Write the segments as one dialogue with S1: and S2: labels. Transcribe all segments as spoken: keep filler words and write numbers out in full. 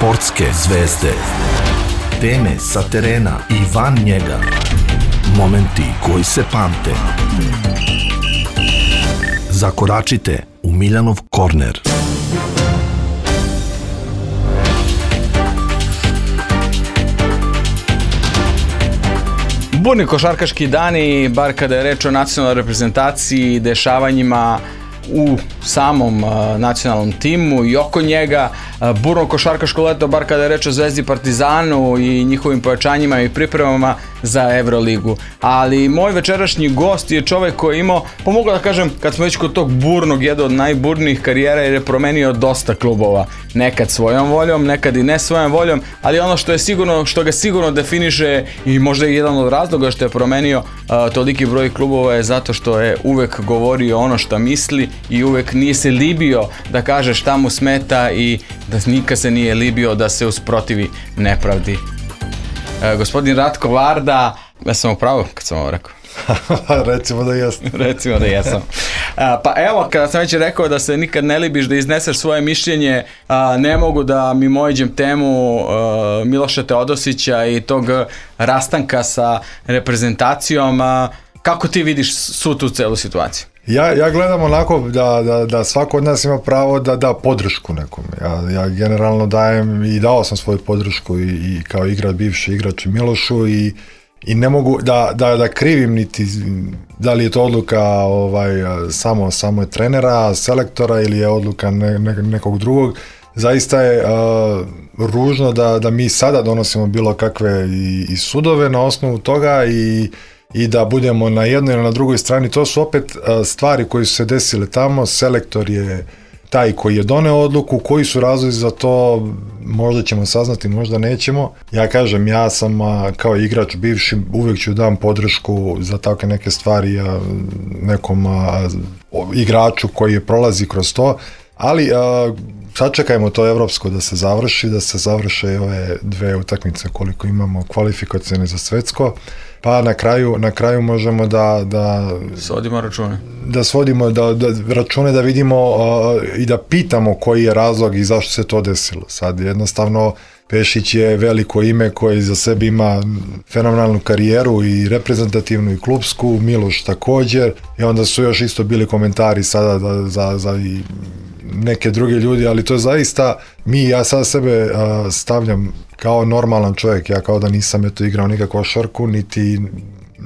S1: Sportske zvezde. Teme sa terena i van njega. Momenti koji se pamte. Zakoračite u Miljanov korner.
S2: Burni košarkaški dani, bar kada je reč o nacionalnoj reprezentaciji, dešavanjima u samom uh, nacionalnom timu i oko njega, uh, burno košarkaško leto, bar kada je reč o Zvezdi, Partizanu i njihovim pojačanjima i pripremama za Evroligu. Ali moj večerašnji gost je čovek koji je imao, pa mogu da kažem, kad smo već kod tog burnog, jedan od najburnijih karijera, jer je promenio dosta klubova. Nekad svojom voljom, nekad i ne svojom voljom, ali ono što je sigurno, što ga sigurno definiše i možda je jedan od razloga što je promenio uh, toliki broj klubova je zato što je uvek govorio ono što misli i uvek nije se libio da kaže šta mu smeta i da nikad se nije libio da se usprotivi nepravdi. E, gospodin Ratko Varda, ja sam upravo kad sam ovo rekao.
S3: Recimo da jesam.
S2: Recimo da jesam. A, pa evo, kada sam već rekao da se nikad ne libiš da izneseš svoje mišljenje, a, ne mogu da mimoiđem temu a, Miloša Teodosića i tog rastanka sa reprezentacijom. A, kako ti vidiš svu tu celu situaciju?
S3: Ja, ja gledam onako da, da, da svako od nas ima pravo da da podršku nekom. Ja, ja generalno dajem i dao sam svoju podršku i, i kao igrač, bivši igrač Milošu i, i ne mogu da, da, da krivim niti da li je to odluka ovaj, samo, samo je trenera, selektora ili je odluka ne, ne, nekog drugog. Zaista je uh, ružno da, da mi sada donosimo bilo kakve i, i sudove na osnovu toga i i da budemo na jednoj ili na drugoj strani. To su opet uh, stvari koje su se desile tamo, selektor je taj koji je doneo odluku, koji su razlozi za to, možda ćemo saznati, možda nećemo. Ja kažem, ja sam uh, kao igrač bivši, uvijek ću dam podršku za takve neke stvari uh, nekom uh, igraču koji je prolazi kroz to, ali uh, sačekajmo to evropsko da se završi, da se završe ove dve utakmice koliko imamo kvalifikacione za svetsko. Pa na kraju, na kraju možemo da da
S2: svodimo račune. Da
S3: svodimo da, da račune da vidimo uh, i da pitamo koji je razlog i zašto se to desilo. Sad jednostavno Pešić je veliko ime koji za sebe ima fenomenalnu karijeru i reprezentativnu i klubsku, Miloš također i onda su još isto bili komentari sada da, za, za i neke druge ljudi, ali to je zaista mi, ja sad sebe uh, stavljam kao normalan čovjek, ja kao da nisam eto igrao nikakvu košarku, niti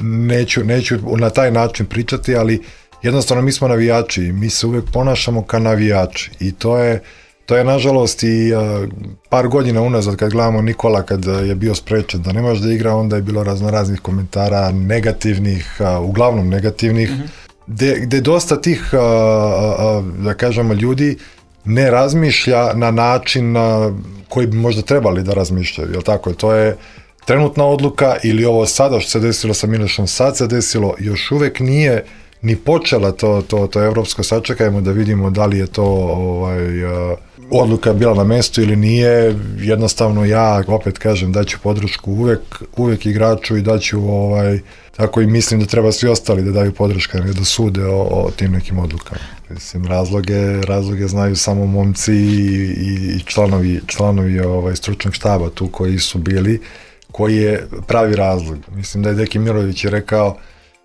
S3: neću, neću na taj način pričati, ali jednostavno mi smo navijači, mi se uvijek ponašamo kao navijači i to je, to je nažalost i uh, par godina unazad kad gledamo Nikola kad je bio sprečen da ne može da igra, onda je bilo raznoraznih komentara negativnih, uh, uglavnom negativnih, mm-hmm. Gde, gde dosta tih, uh, uh, da kažemo, ljudi ne razmišlja na način uh, koji bi možda trebali da razmišljaju, jel tako? To je trenutna odluka ili ovo sada što se desilo sa Milošom, sad se desilo, još uvek nije ni počela to, to, to evropsko, sačekajmo da vidimo da li je to ovaj, uh, odluka bila na mestu ili nije, jednostavno ja opet kažem daću podršku uvek, uvek igraču i daću ovaj, tako i mislim da treba svi ostali da daju podrška, ne da sude o, o tim nekim odlukama. Mislim, razloge, razloge znaju samo momci i, i članovi, članovi ovaj, stručnog štaba tu koji su bili, koji je pravi razlog. Mislim da je Deki Mirović je rekao,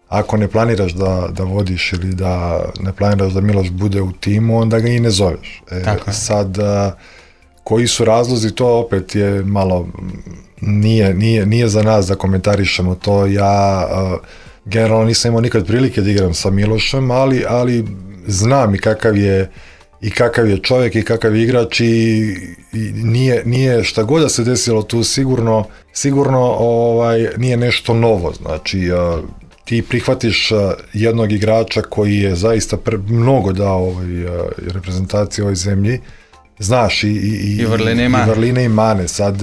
S3: ako ne planiraš da, da vodiš ili da ne planiraš da Miloš bude u timu, onda ga i ne zoveš. E, sad, a, koji su razlozi, to opet je malo, nije, nije, nije za nas da komentarišemo to. Ja a, generalno nisam imao nikad prilike da igram sa Milošem, ali, ali znam i kakav je i kakav je čovjek i kakav je igrač i, i nije, nije šta god da se desilo tu sigurno, sigurno ovaj, nije nešto novo. Znači, a, ti prihvatiš jednog igrača koji je zaista pre, mnogo dao ovoj reprezentaciji ovoj zemlji, znaš i, i,
S2: I, vrline, i,
S3: i vrline i mane. Sad,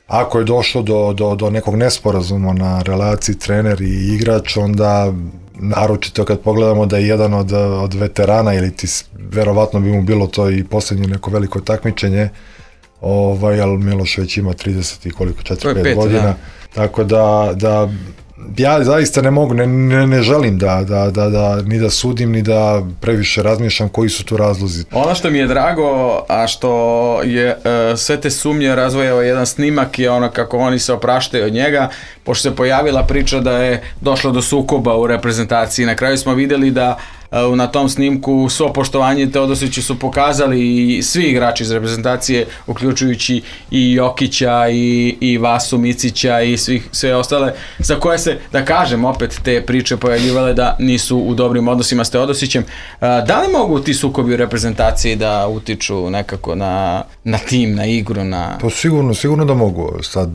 S3: ako je došlo do, do, do nekog nesporazuma na relaciji trener i igrač, onda naročito kad pogledamo da je jedan od, od veterana ili ti verovatno bi mu bilo to i posljednje neko veliko takmičenje, ovaj, ali Miloš već ima trideset i koliko, četiri pet godina, da. Tako da, da ja zaista ne mogu, ne, ne, ne želim da, da, da, da, ni da sudim, ni da previše razmišljam koji su tu razlozi.
S2: Ono što mi je drago, a što je uh, sve te sumnje razvojao jedan snimak je ono kako oni se opraštaju od njega, pošto se pojavila priča da je došlo do sukoba u reprezentaciji. Na kraju smo vidjeli da uh, na tom snimku svo poštovanje Teodosiću su pokazali i svi igrači iz reprezentacije, uključujući i Jokića i, i Vasu Micića i svih, sve ostale, za koje se, da kažem, opet te priče pojavljivale da nisu u dobrim odnosima s Teodosićem. Da li mogu ti sukobi u reprezentaciji da utiču nekako na, na tim, na igru? Na...
S3: Pa sigurno, sigurno da mogu. Sad,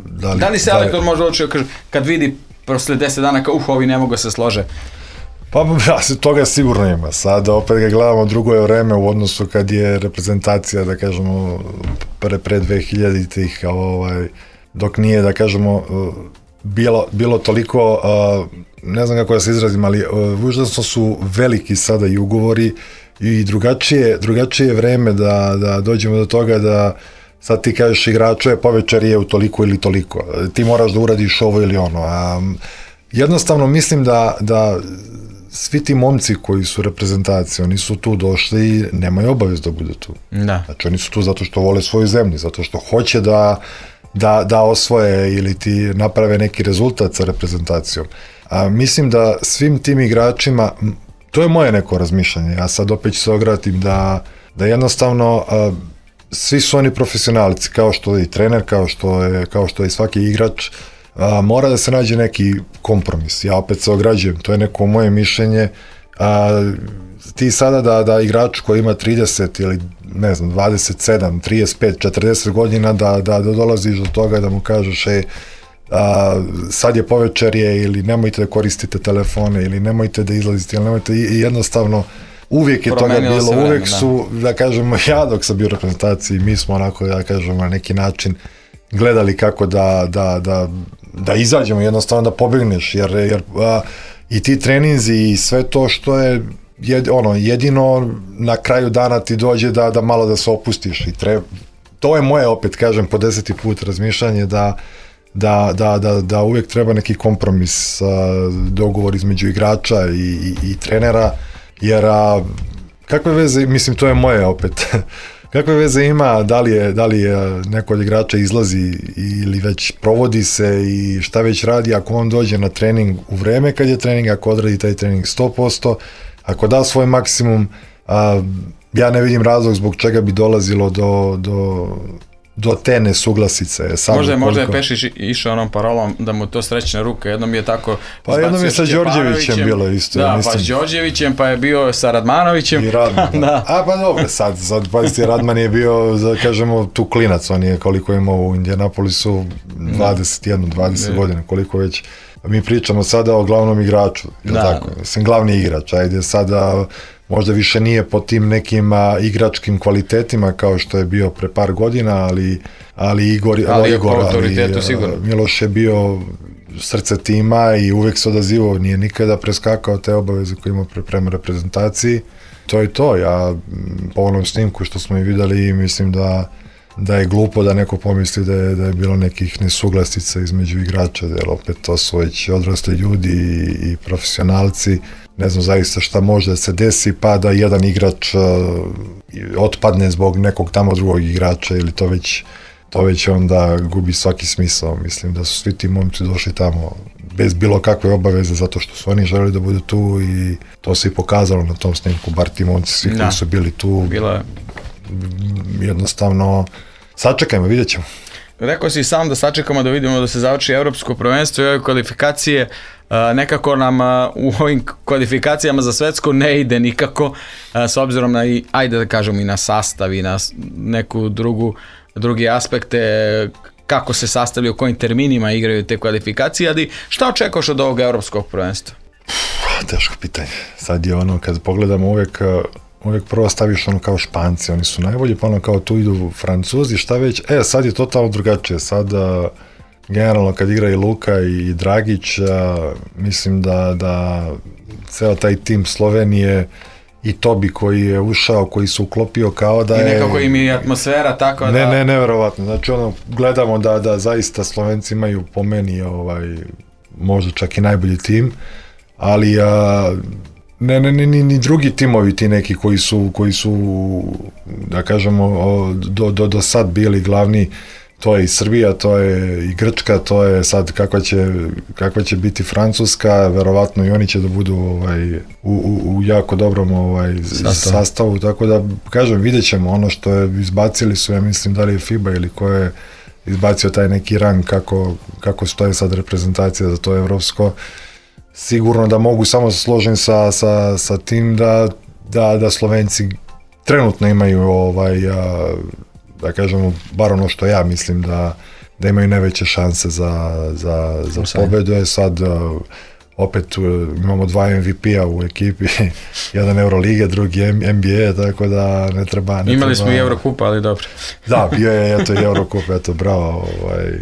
S3: da, li,
S2: da li selektor može odlučiti kad vidi posle deset dana kao uh, ovi ne mogu se slože?
S3: Pa ja, toga sigurno ima. Sad opet ga gledamo, drugo je vreme u odnosu kad je reprezentacija, da kažemo, pre, pre dve hiljaditih, ovaj, dok nije, da kažemo, bilo, bilo toliko, ne znam kako da se izrazim, ali užasno su veliki sada i ugovori i drugačije, drugačije vreme da, da dođemo do toga da sad ti kažeš igraču je povečer je u toliko ili toliko. Ti moraš da uradiš ovo ili ono. A, jednostavno mislim da, da svi ti momci koji su reprezentacije, oni su tu došli i nemaju obavez da budu tu.
S2: Da.
S3: Znači oni su tu zato što vole svoju zemlju, zato što hoće da, da, da osvoje ili ti naprave neki rezultat sa reprezentacijom. A, mislim da svim tim igračima, to je moje neko razmišljanje, ja sad opet ću se ogratim da, da jednostavno a, svi su oni profesionalci, kao što je i trener, kao što je, kao što je svaki igrač, a, mora da se nađe neki kompromis. Ja opet se ograđujem, to je neko moje mišljenje. A, ti sada da, da igrač koji ima trideset ili ne znam, dvadeset sedam, trideset pet, četrdeset godina da, da, da dolaziš do toga da mu kažeš ej, a, sad je povečerje ili nemojte da koristite telefone ili nemojte da izlazite ili nemojte i jednostavno uvijek je promenilo toga bilo, vreme, uvijek su, da. da kažemo, ja dok sam bio u reprezentaciji, mi smo onako, da kažemo, na neki način gledali kako da, da, da, da izađemo, jednostavno da pobegneš, jer, jer a, i ti treninzi i sve to što je jed, ono, jedino na kraju dana ti dođe da, da malo da se opustiš i treba, to je moje, opet kažem, po deseti put razmišljanje da Da, da, da, da uvijek treba neki kompromis, a, dogovor između igrača i, i, i trenera, jer a, kakve veze, mislim to je moje opet, kakve veze ima da li je, da li je neko od igrača izlazi ili već provodi se i šta već radi ako on dođe na trening u vreme kad je trening, ako odradi taj trening sto posto, ako da svoj maksimum, a, ja ne vidim razlog zbog čega bi dolazilo do, do do te nesuglasice.
S2: Sam možda, možda je Pešić išao onom parolom da mu to srećna ruka, jednom je tako
S3: pa jednom je sa Đorđevićem bilo isto.
S2: Da,
S3: mislim.
S2: pa s Đorđevićem, pa je bio sa Radmanovićem.
S3: I Radman, da. A pa dobro, sad, sad pazite, Radman je bio, da kažemo, tu klinac, on je koliko imao u Indianapolisu, dvadeset jedan, dvadeset ne. godina, koliko već. Mi pričamo sada o glavnom igraču, je da. Tako? Mislim, glavni igrač, ajde sada možda više nije po tim nekim a, igračkim kvalitetima kao što je bio pre par godina, ali, ali Igor,
S2: ali,
S3: Igor, ali
S2: a,
S3: Miloš je bio srce tima i uvek se odazivao, nije nikada preskakao te obaveze koje imao pre, prema reprezentaciji. To je to, ja po onom snimku što smo i videli, mislim da da je glupo da neko pomisli da je, da je bilo nekih nesuglasica između igrača, jer opet to su već odrasli ljudi i, i profesionalci. Ne znam zaista šta može da se desi, pa da jedan igrač uh, otpadne zbog nekog tamo drugog igrača ili to već, to već onda gubi svaki smisao. Mislim da su svi ti momci došli tamo bez bilo kakve obaveze zato što su oni želeli da budu tu i to se i pokazalo na tom snimku, bar ti momci svi koji su bili tu.
S2: Bilo je.
S3: Jednostavno, sačekajmo, vidjet ćemo.
S2: Rekao si sam da sačekamo da vidimo da se završi evropsko prvenstvo i ove kvalifikacije. Nekako nam u ovim kvalifikacijama za svetsko ne ide nikako, s obzirom na, i, ajde da kažemo, i na sastav i na neku drugu, drugi aspekte, kako se sastavljaju, u kojim terminima igraju te kvalifikacije, ali šta očekuješ od ovog evropskog prvenstva?
S3: Teško pitanje. Sad je ono, kad pogledamo uvijek, uvijek prvo staviš ono kao Španci, oni su najbolji, pa ono kao tu idu Francuzi, šta već, e, sad je totalno drugačije, sad generalno kad igra i Luka i Dragić, a, mislim da, da ceo taj tim Slovenije i Tobi koji je ušao, koji se uklopio kao da je...
S2: I nekako im je atmosfera tako da...
S3: Ne, ne, neverovatno. Znači ono, gledamo da, da zaista Slovenci imaju po meni ovaj, možda čak i najbolji tim, ali a, ne, ne, ni, ni drugi timovi ti neki koji su, koji su da kažemo, do, do, do sad bili glavni, to je i Srbija, to je i Grčka, to je sad kakva će, kakva će biti Francuska, verovatno i oni će da budu ovaj, u, u, u jako dobrom ovaj, Sastav. sastavu, tako da kažem, vidjet ćemo ono što je izbacili su, ja mislim da li je FIBA ili ko je izbacio taj neki rang kako, kako stoje sad reprezentacija za to evropsko. Sigurno da mogu samo se složiti sa, sa, sa tim da, da, da Slovenci trenutno imaju ovaj, a, da kažemo, bar ono što ja mislim da, da imaju najveće šanse za, za, za pobedu. Je sad uh, opet uh, imamo dva M V P-a u ekipi, jedan Eurolige, drugi N B A, tako da ne treba... Ne
S2: Imali
S3: treba,
S2: smo i Eurokupa, ali dobro.
S3: Da, bio je eto i Eurokup, eto, bravo, ovaj,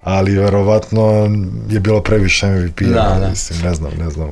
S3: ali verovatno je bilo previše M V P-a,
S2: da, da.
S3: mislim, ne znam, ne znam.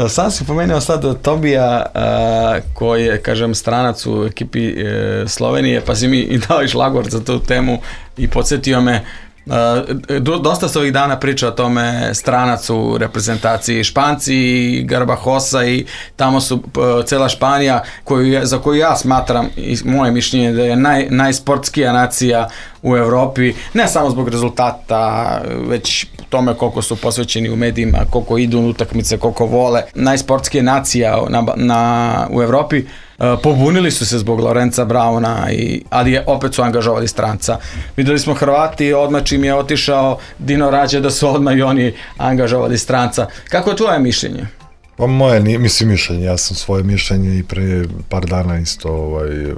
S2: Sam si pomenuo sad Tobija, uh, koji je, kažem, stranac u ekipi uh, Slovenije, pa si mi i dao i šlagvort za tu temu i podsjetio me. Uh, dosta se ovih dana priča o tome, stranac u reprezentaciji, Španci i Garbajosa i tamo su uh, cela Španija koju je, za koju ja smatram i moje mišljenje da je naj, najsportskija nacija u Evropi, ne samo zbog rezultata, već tome koliko su posvećeni u medijima, koliko idu na utakmice, koliko vole. Najsportskija nacija na, na, u Evropi. Uh, pobunili su se zbog Lorenza Brauna, i, ali je, opet su angažovali stranca. Videli smo Hrvati, odmah čim je otišao Dino Rađe, da su odmah i oni angažovali stranca. Kako je tvoje mišljenje?
S3: Pa moje, mislim mišljenje, ja sam svoje mišljenje i pre par dana isto ovaj,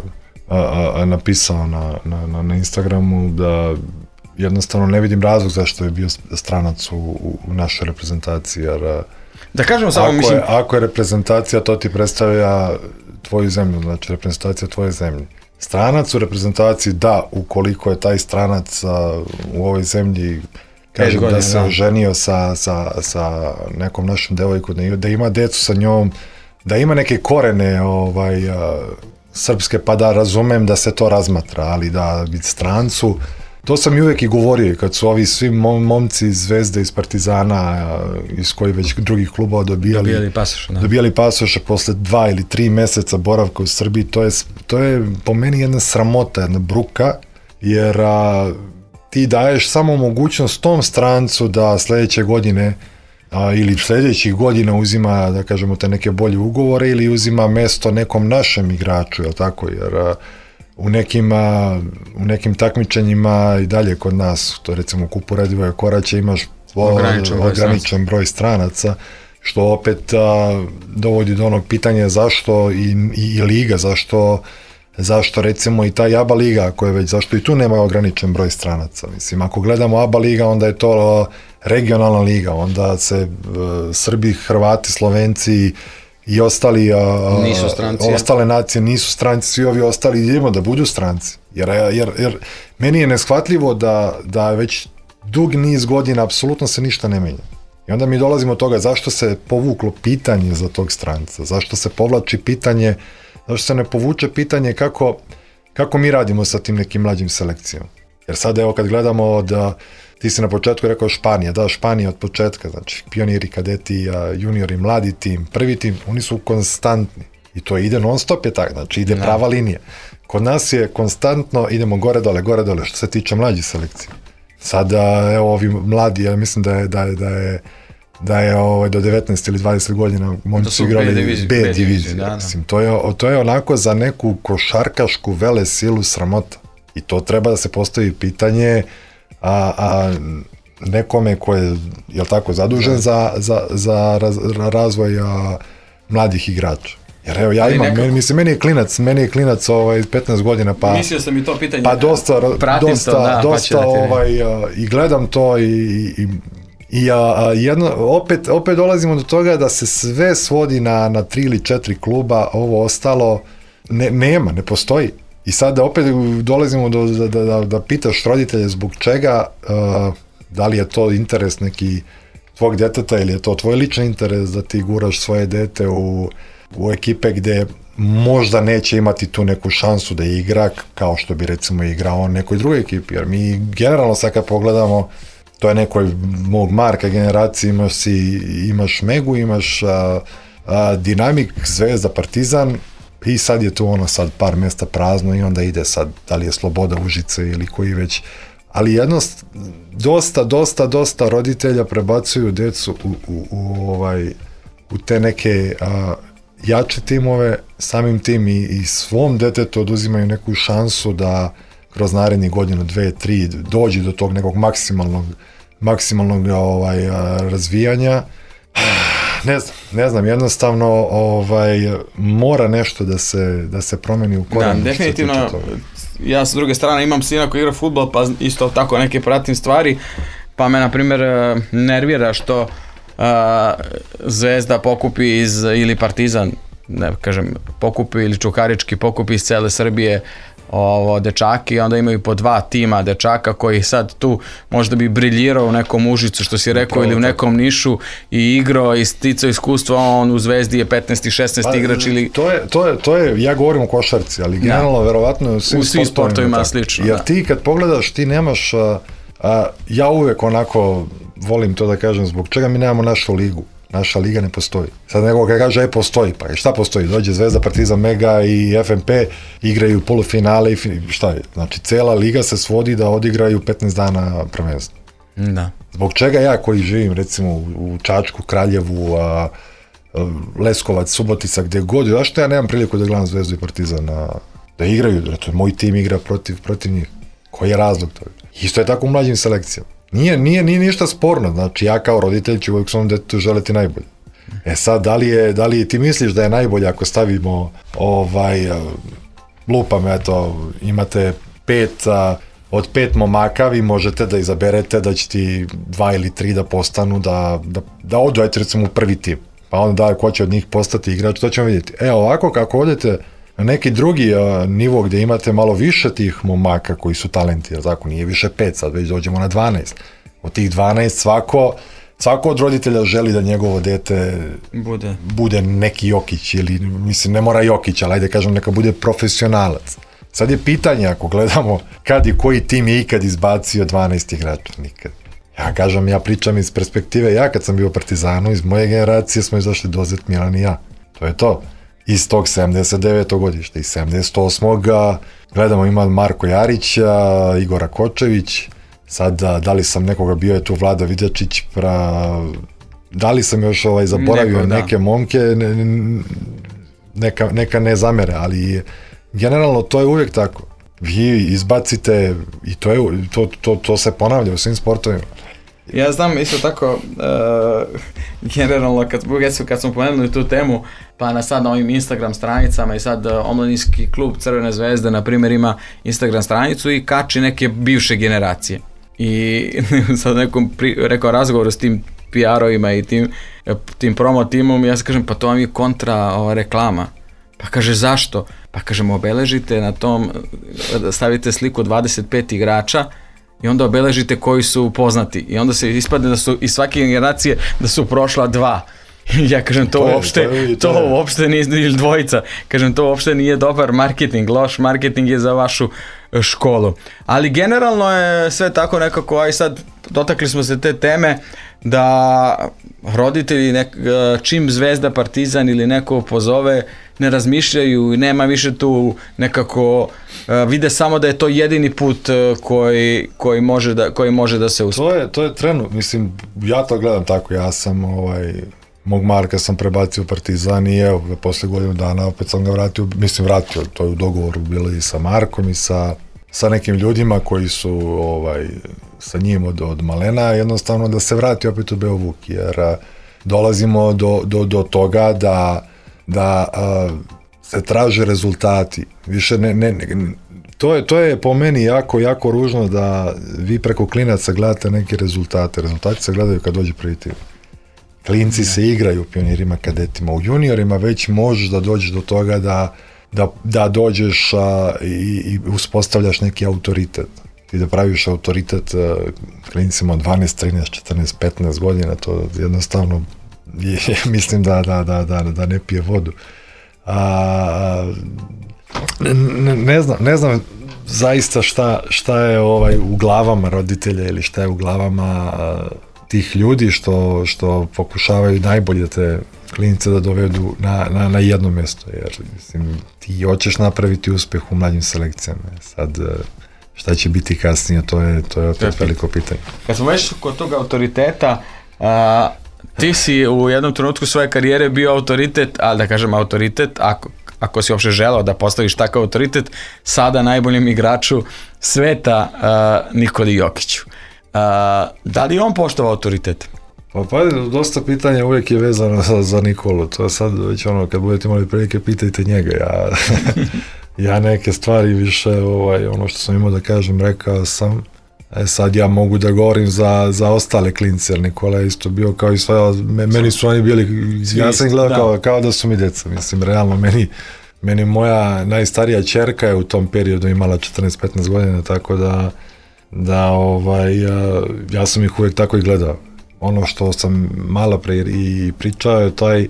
S3: a, a, a napisao na, na, na Instagramu da jednostavno ne vidim razlog zašto je bio stranac u, u našoj reprezentaciji, jer
S2: da kažemo samo,
S3: ako,
S2: mislim...
S3: je, ako je reprezentacija, to ti predstavlja tvoju zemlju, znači reprezentacija tvoje zemlje. Stranac u reprezentaciji, da, ukoliko je taj stranac a, u ovoj zemlji, kažem godina, da se oženio sa, sa, sa nekom našom devojkom, da ima decu sa njom, da ima neke korene ovaj, a, srpske, pa da razumem da se to razmatra, ali da biti strancu, to sam i uvijek i govorio, kad su ovi svi momci iz Zvezde, iz Partizana, iz koji već drugih klubova dobijali,
S2: dobijali pasoše, da.
S3: dobijali pasoše posle dva ili tri meseca boravka u Srbiji, to je, to je po meni jedna sramota, jedna bruka, jer a, ti daješ samo mogućnost tom strancu da sledeće godine a, ili sledećih godina uzima, da kažemo, te neke bolje ugovore ili uzima mesto nekom našem igraču, je li tako, jer a, u nekim, a, u nekim takmičenjima i dalje kod nas, to recimo u Kupu Radivoja Koraća imaš o, ograničen, broj, ograničen broj stranaca, što opet a, dovodi do onog pitanja zašto i, i, i liga, zašto, zašto recimo i ta ABA liga, koja već, zašto i tu nema ograničen broj stranaca. Mislim, ako gledamo ABA liga, onda je to a, regionalna liga, onda se a, Srbi, Hrvati, Slovenci i ostali, a,
S2: nisu stranci,
S3: ostale nacije nisu stranci, svi ovi ostali idemo da budu stranci. Jer, jer, jer meni je neshvatljivo da, da već dug niz godina apsolutno se ništa ne menja. I onda mi dolazimo od toga zašto se povuklo pitanje za tog stranca, zašto se povlači pitanje, zašto se ne povuče pitanje kako, kako mi radimo sa tim nekim mlađim selekcijama. Jer sad evo kad gledamo da ti si na početku rekao Španija, da, Španija od početka, znači pioniri, kadeti, juniori, mladi tim, prvi tim, oni su konstantni i to ide non stop je tako, znači ide prava linija. Kod nas je konstantno, idemo gore dole, gore dole, što se tiče mlađih selekcija. Sada, evo, ovi mladi, ja mislim da je, da je, da je, da je ovaj, do devetnaest ili dvadeset godina momci su igrali B diviziju. Da, mislim, to je, to je onako za neku košarkašku vele silu sramota. I to treba da se postavi pitanje a, a nekome ko je, jel tako, zadužen za, za, za raz, razvoj a, mladih igrača. Jer evo, ja imam, meni, mislim, meni je klinac, meni je klinac ovaj, petnaest godina, pa...
S2: Mislio sam i to pitanje.
S3: Pa dosta, dosta,
S2: to, da,
S3: dosta
S2: pa
S3: ovaj, a, i gledam to i, i, i a, a, jedno, opet, opet dolazimo do toga da se sve svodi na, na tri ili četiri kluba, ovo ostalo ne, nema, ne postoji. I sada opet dolazimo do, da, da, da, da pitaš roditelje zbog čega, uh, da li je to interes neki tvog deteta ili je to tvoj lični interes da ti guraš svoje dete u, u ekipe gde možda neće imati tu neku šansu da igra kao što bi recimo igrao on nekoj drugoj ekipi. Jer mi generalno sad kad pogledamo to je nekoj mog Marka generacije, imaš, si, imaš Megu, imaš a, a, Dinamik, Zvezda, Partizan i sad je tu ono sad par mjesta prazno i onda ide sad, da li je Sloboda, Užice ili koji već, ali jednost, dosta, dosta, dosta roditelja prebacuju decu u, u, u, ovaj, u te neke a, jače timove, samim tim i, i svom detetu oduzimaju neku šansu da kroz narednih godinu, dve, tri dođe do tog nekog maksimalnog, maksimalnog ovaj, a, razvijanja. Ne znam, ne znam, jednostavno ovaj, mora nešto da se, da se promeni u korenu.
S2: Da, definitivno, ja s druge strane imam sina koji igra fudbal, pa isto tako neke pratim stvari, pa me na primjer nervira što uh, Zvezda pokupi iz, ili Partizan, ne kažem, pokupi ili Čukarički pokupi iz cele Srbije ovo, dečaki, onda imaju po dva tima dečaka koji sad tu možda bi briljirao u nekom Užicu, što si rekao, ili u nekom Nišu i igrao i sticao iskustvo, on u Zvezdi je petnaesti šesnaesti igrač ili...
S3: To je, to je, to je, ja govorim o košarci, ali generalno, verovatno u svim,
S2: u svim sportovima slično.
S3: Jer
S2: da.
S3: ti kad pogledaš, ti nemaš, a, a, ja uvek onako volim to da kažem, zbog čega mi nemamo našu ligu. Naša liga ne postoji. Sad neko kada kaže, e, postoji, pa šta postoji? Dođe Zvezda, Partizan, Mega i F M P, igraju polufinale i šta je? Znači, cela liga se svodi da odigraju petnaest dana prvenstva.
S2: Da.
S3: Zbog čega ja koji živim, recimo, u Čačku, Kraljevu, a, a, Leskovac, Subotica, gde god, zašto ja nemam priliku da gledam Zvezdu i Partizan, a, da igraju, da moj tim igra protiv, protiv njih. Koji je razlog toga? Isto je tako u mlađim selekcijama. Nije, nije, nije ništa sporno, znači ja kao roditelj ću uvijek svom detetu želiti najbolje. E sad, da li, je, da li ti misliš da je najbolje ako stavimo, ovaj, lupam, eto, imate pet, a, od pet momaka vi možete da izaberete da će ti dva ili tri da postanu, da, da, da odu, eto, recimo u prvi tim, pa onda da, ko će od njih postati igrač, to ćemo vidjeti. E, ovako, kako odete na neki drugi a, nivo gdje imate malo više tih momaka koji su talenti, jer zakon nije više pet, sad već dođemo na dvanaest. Od tih dvanaest svako, svako od roditelja želi da njegovo dete
S2: bude,
S3: bude neki Jokić, ili mislim ne mora Jokić, ali ajde kažem neka bude profesionalac. Sad je pitanje ako gledamo kad i koji tim je ikad izbacio dvanaest igrača, nikad. Ja kažem, ja pričam iz perspektive, ja kad sam bio u Partizanu, iz moje generacije smo izašli Dozet, Milan i ja. To je to. Iz tog sedamdeset devetog godišta, iz sedamdeset osmog gledamo, ima Marko Jarića, Igora Kočević, sad da li sam nekoga, bio je tu Vlada Vidjačić, pra, da li sam još ovaj, zaboravio Neko, neke momke, ne, neka, neka ne zamere, ali generalno to je uvijek tako. Vi izbacite, i to, je, to, to, to se ponavlja u svim sportovima.
S2: Ja znam isto tako, uh, generalno kad, kad smo pomenuli tu temu, pa na sad na ovim Instagram stranicama i sad uh, omladinski klub Crvene zvezde na primjer ima Instagram stranicu i kači neke bivše generacije. I sad nekom pri, rekao razgovoru s tim P R-ovima i tim, tim promo timom, ja se kažem, pa to vam je kontra ova reklama. Pa kaže, zašto? Pa kažemo, obeležite na tom, stavite sliku dvadeset pet igrača i onda obeležite koji su poznati. I onda se ispadne da su iz svake generacije da su prošla dva. Ja kažem, to, to uopšte, je, to, je, to, to uopšte nije, ili dvojica, kažem, to uopšte nije dobar marketing, loš marketing je za vašu školu. Ali generalno je sve tako nekako, aj sad dotakli smo se te teme, da roditelji nek, čim Zvezda, Partizan ili neko pozove, ne razmišljaju i nema više tu nekako, vide samo da je to jedini put koji, koji, može, da, koji može da se uspije.
S3: To je, to je trenutno, mislim, ja to gledam tako, ja sam ovaj... Mog Marka sam prebacio u Partizan i evo, posle godinu dana opet sam ga vratio, mislim vratio, to je u dogovoru bilo i sa Markom i sa, sa nekim ljudima koji su ovaj, sa njim od, od malena, jednostavno da se vrati opet u Beovuk, jer a, dolazimo do, do, do toga da, da a, se traže rezultati. Više ne, ne, ne, to, je, to je po meni jako, jako ružno da vi preko klinaca gledate neke rezultate. Rezultati se gledaju kad dođe prvi tim. Klinci se igraju u pionirima, kadetima, u juniorima već možeš da dođeš do toga da, da, da dođeš a, i, i uspostavljaš neki autoritet. I da praviš autoritet a, klincima od dvanaest, trinaest, četrnaest, petnaest godina, to jednostavno je, mislim da, da, da, da, da ne pije vodu. A, ne, ne, znam, ne znam, zaista šta, šta je ovaj u glavama roditelja ili šta je u glavama a, tih ljudi što, što pokušavaju najbolje da te klinice da dovedu na, na, na jedno mjesto, jer mislim, ti hoćeš napraviti uspeh u mlađim selekcijama. Sad, šta će biti kasnije, to je, to je opet to je veliko pitanje.
S2: Kad smo već kod tog autoriteta, a, ti si u jednom trenutku svoje karijere bio autoritet, ali da kažem autoritet, ako, ako si uopšte želeo da postaviš takav autoritet, sada najboljem igraču sveta uh, Nikoli Jokiću. Uh, da li on poštovao autoritet?
S3: Pa, pa dosta pitanja uvijek je vezano za, za Nikolu, to je sad već ono, kad budete imali prilike, pitajte njega. Ja, ja neke stvari više, ovaj, ono što sam imao da kažem, rekao sam. E sad ja mogu da govorim za, za ostale klince, jer Nikola je isto bio kao i sve, meni su oni bili, ja sam gledao da. Kao, kao da su mi djeca, mislim, realno, meni, meni moja najstarija ćerka je u tom periodu imala četrnaest petnaest godina, tako da, da ovaj, ja, ja sam ih uvijek tako i gledao. Ono što sam malo pre i pričao je taj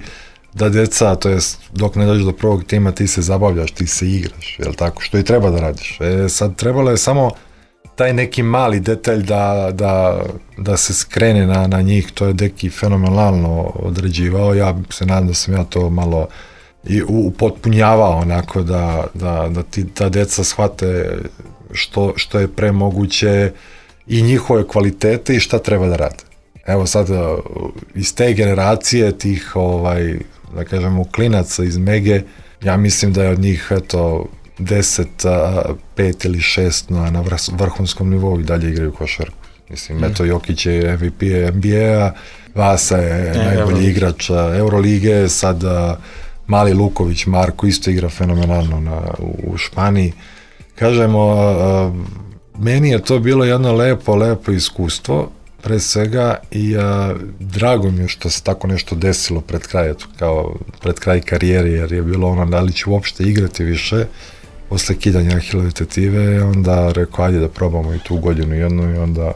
S3: da djeca, to jest dok ne dođeš do prvog tima, ti se zabavljaš, ti se igraš, jel tako, što i treba da radiš. E sad trebalo je samo taj neki mali detalj da, da, da se skrene na, na njih, to je Deki fenomenalno određivao, ja se nadam da sam ja to malo i upotpunjavao onako da, da, da ti, ta deca shvate što, što je pre moguće i njihove kvalitete i šta treba da rade. Evo sad iz te generacije tih ovaj, da kažemo klinaca iz Mege, ja mislim da je od njih eto deset, pet ili šest na, na vrhunskom nivou i dalje igraju košarku. Mislim, mm. eto, Jokić je M V P N B A, Vasa je e, najbolji Euro. igrač Eurolige, sad mali Luković Marko isto igra fenomenalno na, u, u Španiji. Kažemo, a, meni je to bilo jedno lepo, lepo iskustvo, pre svega, i a, drago mi je što se tako nešto desilo pred kraj, eto, kao pred kraj karijere, jer je bilo ono da li ću uopšte igrati više. Posle kidanja Ahilove tetive, onda rekao, ajde da probamo i tu godinu jednu i onda...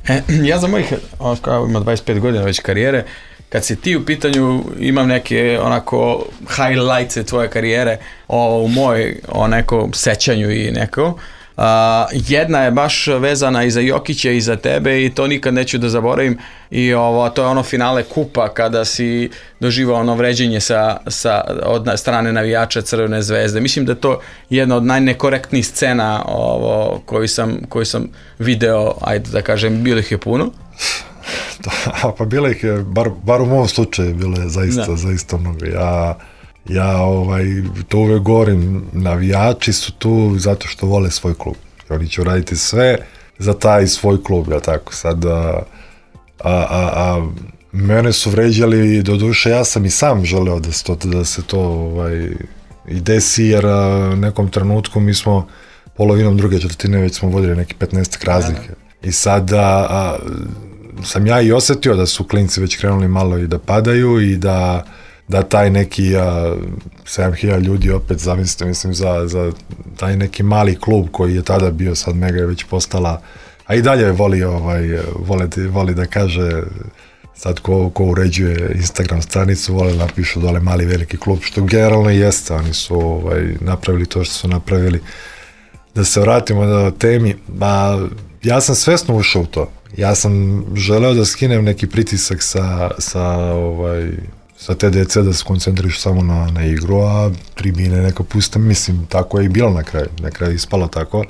S2: E, ja za mojih, kao ima dvadeset pet godina već karijere, kad si ti u pitanju, imam neke onako highlights tvoje karijere o, u moj o nekom sećanju i neko. Uh, jedna je baš vezana i za Jokića i za tebe i to nikad neću da zaboravim i ovo, to je ono finale kupa kada si doživao ono vređenje sa, sa, od strane navijača Crvene zvezde. Mislim da je to jedna od najnekorektnijih scena ovo, koju, sam, koju sam video, ajde da kažem, bilo ih je puno.
S3: Da, pa bilo ih je, bar, bar u mom slučaju bilo je zaista, da. zaista mnogo. Ja Ja ovaj, to uvek govorim, navijači su tu zato što vole svoj klub. Oni će uraditi sve za taj svoj klub, ja tako. Sad, a, a, a, a mene su vređali, do duše ja sam i sam želeo da se to, da se to ovaj, i desi, jer u nekom trenutku mi smo polovinom druge četvrtine već smo vodili neki petnaest razlike. I sad a, a, sam ja i osetio da su klinci već krenuli malo i da padaju i da da taj neki a, sedam hiljada ljudi opet zamislite, mislim, za, za taj neki mali klub koji je tada bio, sad Mega je već postala, a i dalje voli, ovaj, voli, voli da kaže, sad ko, ko uređuje Instagram stranicu, vole napišu dole mali veliki klub, što generalno i jeste, oni su ovaj, napravili to što su napravili. Da se vratimo na temi, ba, ja sam svesno ušao u to, ja sam želeo da skinem neki pritisak sa, sa ovaj, sa te dece da se koncentrišu samo na, na igru, a tribine neka puste, mislim, tako je i bilo na kraju, na kraju ispalo tako.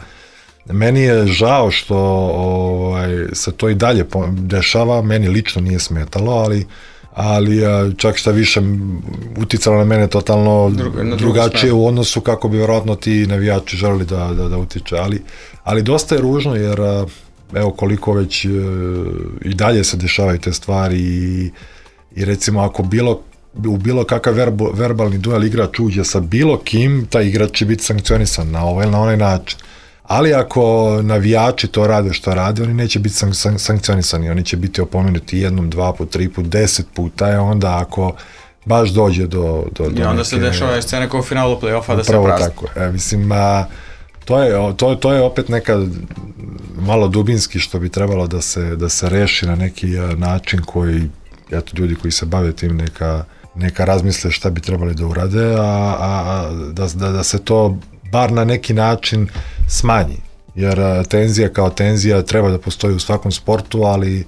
S3: Meni je žao što ovaj, se to i dalje dešava, meni lično nije smetalo, ali, ali čak šta više uticalo na mene totalno Druga, drugačije u odnosu kako bi vjerojatno ti navijači želeli da, da, da utiče, ali, ali dosta je ružno jer evo koliko već i dalje se dešavaju te stvari i I recimo ako bilo, u bilo kakav verbo, verbalni duel igrač uđe sa bilo kim, taj igrač će biti sankcionisan na ovaj ili na onaj način. Ali ako navijači to rade što rade, oni neće biti san, san, sankcionisani, oni će biti opomenuti jednom, dva put, tri put, deset puta, a onda ako baš dođe do... do, do
S2: I onda neke, se dešava scena kao u finalu play-offa da se prazni.
S3: Tako, e, mislim, a, to, je, to, to je opet neka malo dubinski što bi trebalo da se, da se reši na neki a, način koji eto, ljudi koji se bave tim neka, neka razmisle šta bi trebali da urade, a, a, a da, da, da se to bar na neki način smanji. Jer tenzija kao tenzija treba da postoji u svakom sportu, ali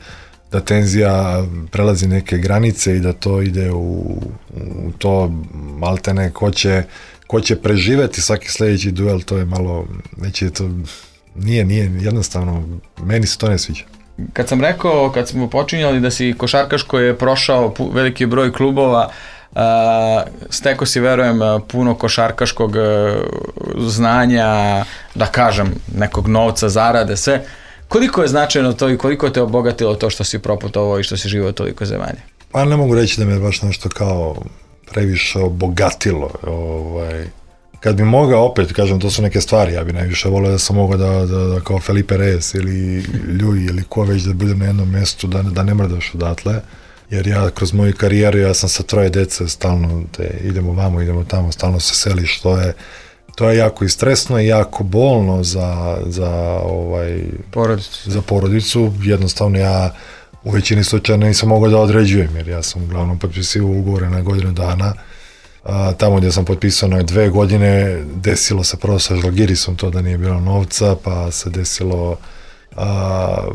S3: da tenzija prelazi neke granice i da to ide u, u to maltene ko će, ko će preživeti svaki sljedeći duel, to je malo, neće to, nije, nije jednostavno, meni se to ne sviđa.
S2: Kad sam rekao, kad smo počinjali da si košarkaš koji je prošao veliki broj klubova, Uh, steko si, verujem, puno košarkaškog uh, znanja, da kažem, nekog novca, zarade, sve. Koliko je značajno to i koliko te obogatilo to što si proputovao i što si živio toliko zemalja?
S3: Pa ne mogu reći da me baš nešto kao previše obogatilo. Ovaj, kad bi mogao, opet kažem, to su neke stvari, ja bi najviše volio da sam mogao da, da, da kao Felipe Reyes ili Ljuj ili ko već da budem na jednom mjestu, da, da ne mrdaš odatle. Jer ja kroz moju karijeru, ja sam sa troje djece stalno, te, idemo vamo, idemo tamo, stalno se seliš, to je, to je jako i stresno i jako bolno za, za, ovaj,
S2: porodicu.
S3: za porodicu. Jednostavno ja u većini slučaja nisam mogao da određujem, jer ja sam uglavnom potpisivao ugovore na godinu dana. A, tamo gdje sam potpisao na dve godine, desilo se prvo sa Žalgirisom to da nije bilo novca, pa se desilo a,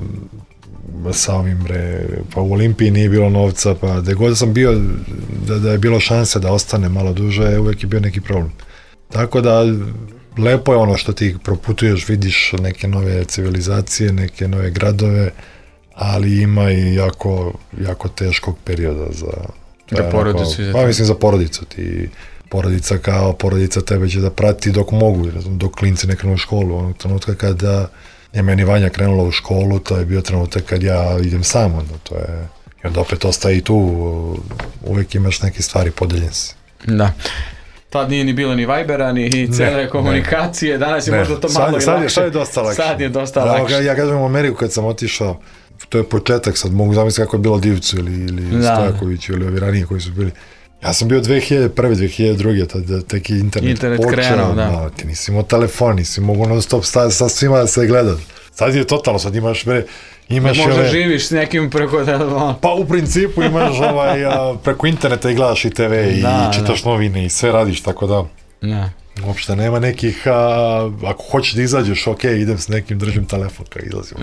S3: sa ovim, bre, pa u Olimpiji nije bilo novca, pa gdje god sam bio, da, da je bilo šanse da ostane malo duže, uvijek je bio neki problem. Tako da, lepo je ono što ti proputuješ, vidiš neke nove civilizacije, neke nove gradove, ali ima i jako, jako teškog perioda za...
S2: Za porodicu.
S3: Pa mislim za porodicu. Ti, porodica kao porodica tebe će da prati dok mogu, dok klinci ne krenu u školu. Onog trenutka kada je meni Vanja krenula u školu, to je bio trenutak kad ja idem sam, onda to je... I onda opet ostaje i tu, uvijek imaš neke stvari, podeljen si.
S2: Da. Tad nije ni bilo ni Vibera, ni cele komunikacije, danas je ne. možda to malo sad, i
S3: sad
S2: lakše.
S3: Sad je dosta lakše.
S2: Sad je dosta lakše.
S3: Ja, ja kažem u Ameriku kad sam otišao, to je početak, sad mogu zamisliti kako je bilo Divcu ili, ili Stojakoviću ili ovi ranije koji su bili. Ja sam bio dve hiljade prve, dve hiljade druge, tad tek je internet,
S2: internet
S3: počeo,
S2: krenuo, da.
S3: No, ti nisi imao telefon, nisi mogu non stop sta, sa svima da se gledat. Sad je totalno, sad imaš bre, imaš
S2: možda
S3: ove,
S2: živiš s nekim preko telefona.
S3: Pa u principu imaš ovaj, a, preko interneta i gledaš i te ve i da, čitaš da. novine i sve radiš, tako da.
S2: Da.
S3: Uopšte nema nekih, a, ako hoćeš da izađeš, ok, idem s nekim, držim telefon kad izlazim.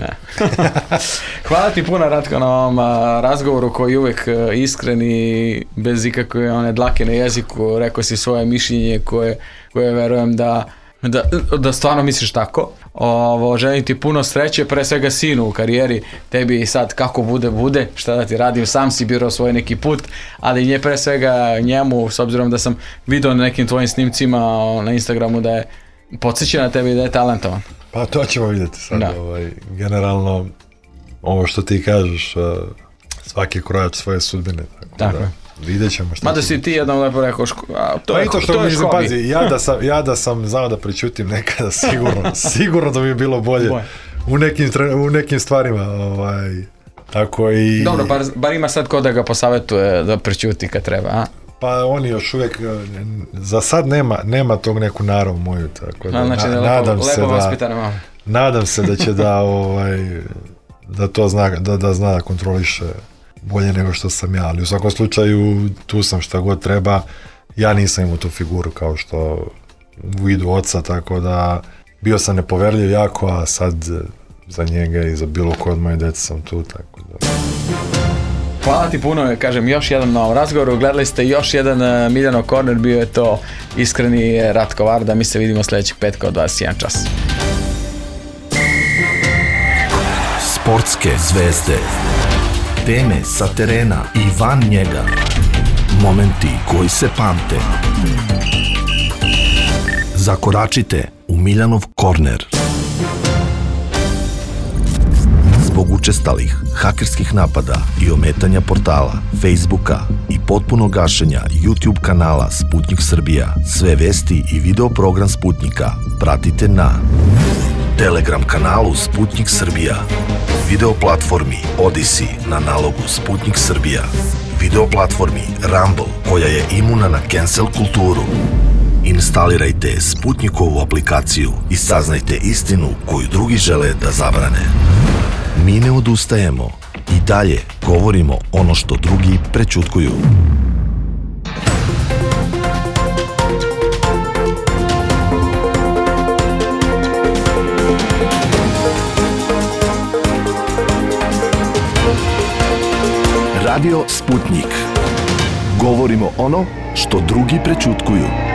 S2: Hvala ti puno, Ratko, na ovom a, razgovoru koji je uvijek a, iskren i bez ikakve one dlake na jeziku. Rekao si svoje mišljenje koje, koje verujem da, da, da stvarno misliš tako. Ovo, želim ti puno sreće, pre svega sinu u karijeri, tebi sad kako bude, bude, šta da ti radim, sam si birao svoj neki put, ali nje pre svega njemu, s obzirom da sam vidio na nekim tvojim snimcima na Instagramu da je podsjeća na tebi da je talentovan.
S3: Pa to ćemo vidjeti sad, ovaj, generalno, ovo što ti kažeš, svaki krojač svoje sudbine, tako, tako da. Vidjet ćemo šta.
S2: Mada si ti jednom lepo rekao, ško, a, to,
S3: pa
S2: je,
S3: to, što
S2: to je
S3: mislim, pazi, ja da, sam, ja da sam znao da pričutim nekada, sigurno, sigurno da bi bilo bolje u nekim, u nekim stvarima. Ovaj, tako i...
S2: Dobro, bar, bar ima sad ko da ga posavetuje da pričuti kad treba, a?
S3: Pa oni još uvijek, za sad nema, nema tog neku narav moju, tako da,
S2: a, znači,
S3: na,
S2: da
S3: nadam,
S2: lepo,
S3: se
S2: lepo
S3: da, nadam se da će da, ovaj, da to zna, da, da zna da kontroliše bolje nego što sam ja, ali u svakom slučaju tu sam šta god treba. Ja nisam imao tu figuru kao što u vidu oca, tako da bio sam nepoverljiv jako, a sad za njega i za bilo ko od moje djece sam tu, tako da...
S2: Hvala ti puno, kažem, još jedan na ovom razgovoru, gledali ste još jedan Miljanov Corner, bio je to iskreni Ratko Varda, mi se vidimo sljedećeg petka od dvadeset jedan čas.
S1: Sportske zvezde, teme sa terena i van njega, momenti koji se pamte. Zakoračite u Miljanov Corner. Zbog učestalih hakerskih napada i ometanja portala, Facebooka i potpunog gašenja YouTube kanala Sputnik Srbija, sve vesti i video program Sputnika pratite na Telegram kanalu Sputnik Srbija, video platformi Odyssey na nalogu Sputnik Srbija, video platformi Rumble koja je imuna na cancel kulturu. Instalirajte Sputnikovu aplikaciju i saznajte istinu koju drugi žele da zabrane. Mi ne odustajemo i dalje govorimo ono što drugi prećutkuju. Radio Sputnik. Govorimo ono što drugi prećutkuju.